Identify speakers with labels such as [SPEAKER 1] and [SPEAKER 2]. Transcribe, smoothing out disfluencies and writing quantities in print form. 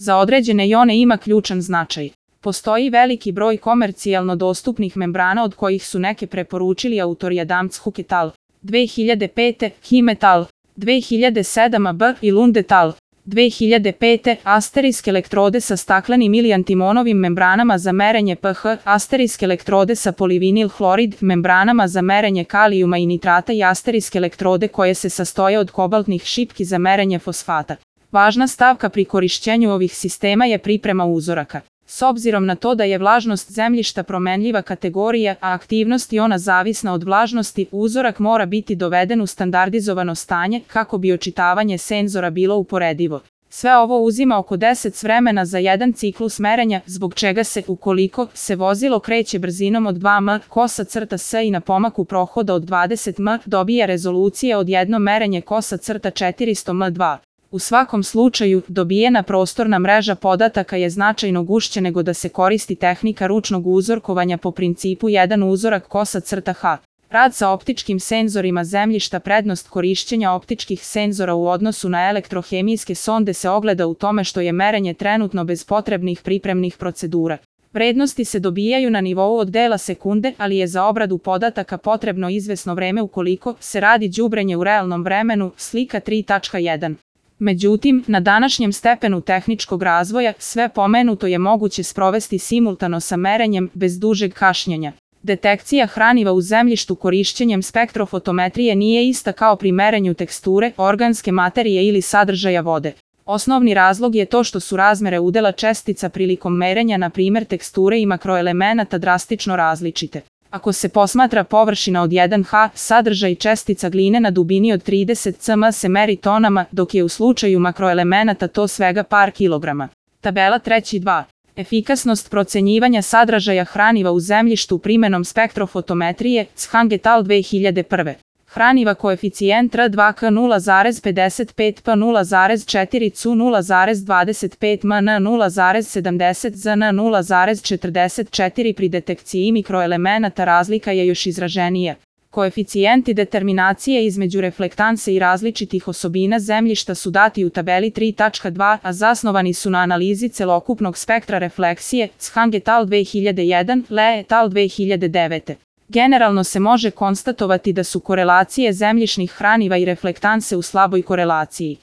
[SPEAKER 1] Za određene jone ima ključan značaj. Postoji veliki broj komercijalno dostupnih membrana od kojih su neke preporučili autori Adams Hook et al. 2005, Kim et al. 2007 AB i Lund et al. 2005, asterisk elektrode sa staklenim ili antimonovim membranama za merenje pH, asterisk elektrode sa polivinil hlorid membranama za merenje kalijuma i nitrata i asterisk elektrode koje se sastoje od kobaltnih šipki za merenje fosfata. Važna stavka pri korišćenju ovih sistema je priprema uzoraka. S obzirom na to da je vlažnost zemljišta promenljiva kategorija, a aktivnost jona zavisna od vlažnosti, uzorak mora biti doveden u standardizovano stanje kako bi očitavanje senzora bilo uporedivo. Sve ovo uzima oko 10 vremena za jedan ciklus merenja, zbog čega se, ukoliko se vozilo kreće brzinom od 2 m/s i na pomaku prohoda od 20 m, dobija rezolucija od jedno merenje 400 m2. U svakom slučaju, dobijena prostorna mreža podataka je značajno gušća nego da se koristi tehnika ručnog uzorkovanja po principu jedan uzorak h. Rad sa optičkim senzorima zemljišta. Prednost korišćenja optičkih senzora u odnosu na elektrohemijske sonde se ogleda u tome što je merenje trenutno bez potrebnih pripremnih procedura. Vrednosti se dobijaju na nivou od dela sekunde, ali je za obradu podataka potrebno izvesno vreme ukoliko se radi đubrenje u realnom vremenu, slika 3.1. Međutim, na današnjem stepenu tehničkog razvoja, sve pomenuto je moguće sprovesti simultano sa merenjem, bez dužeg kašnjenja. Detekcija hraniva u zemljištu korišćenjem spektrofotometrije nije ista kao pri merenju teksture, organske materije ili sadržaja vode. Osnovni razlog je to što su razmere udela čestica prilikom merenja, na primjer teksture i makroelemenata, drastično različite. Ako se posmatra površina od 1 ha, sadržaj čestica gline na dubini od 30 cm se meri tonama, dok je u slučaju makroelemenata to svega par kilograma. Tabela 3.2. Efikasnost procenjivanja sadržaja hraniva u zemljištu primenom spektrofotometrije, Chang et al. 2001. Hraniva koeficijent R2K 0,55 P 0,4 Cu 0,25 MN 0,70 ZN 0,44. Pri detekciji mikroelemenata razlika je još izraženija. Koeficijenti determinacije između reflektanse i različitih osobina zemljišta su dati u tabeli 3.2, a zasnovani su na analizi celokupnog spektra refleksije, Chang et al. 2001, Le et al. 2009. Generalno se može konstatovati da su korelacije zemljišnih hraniva i reflektanse u slaboj korelaciji.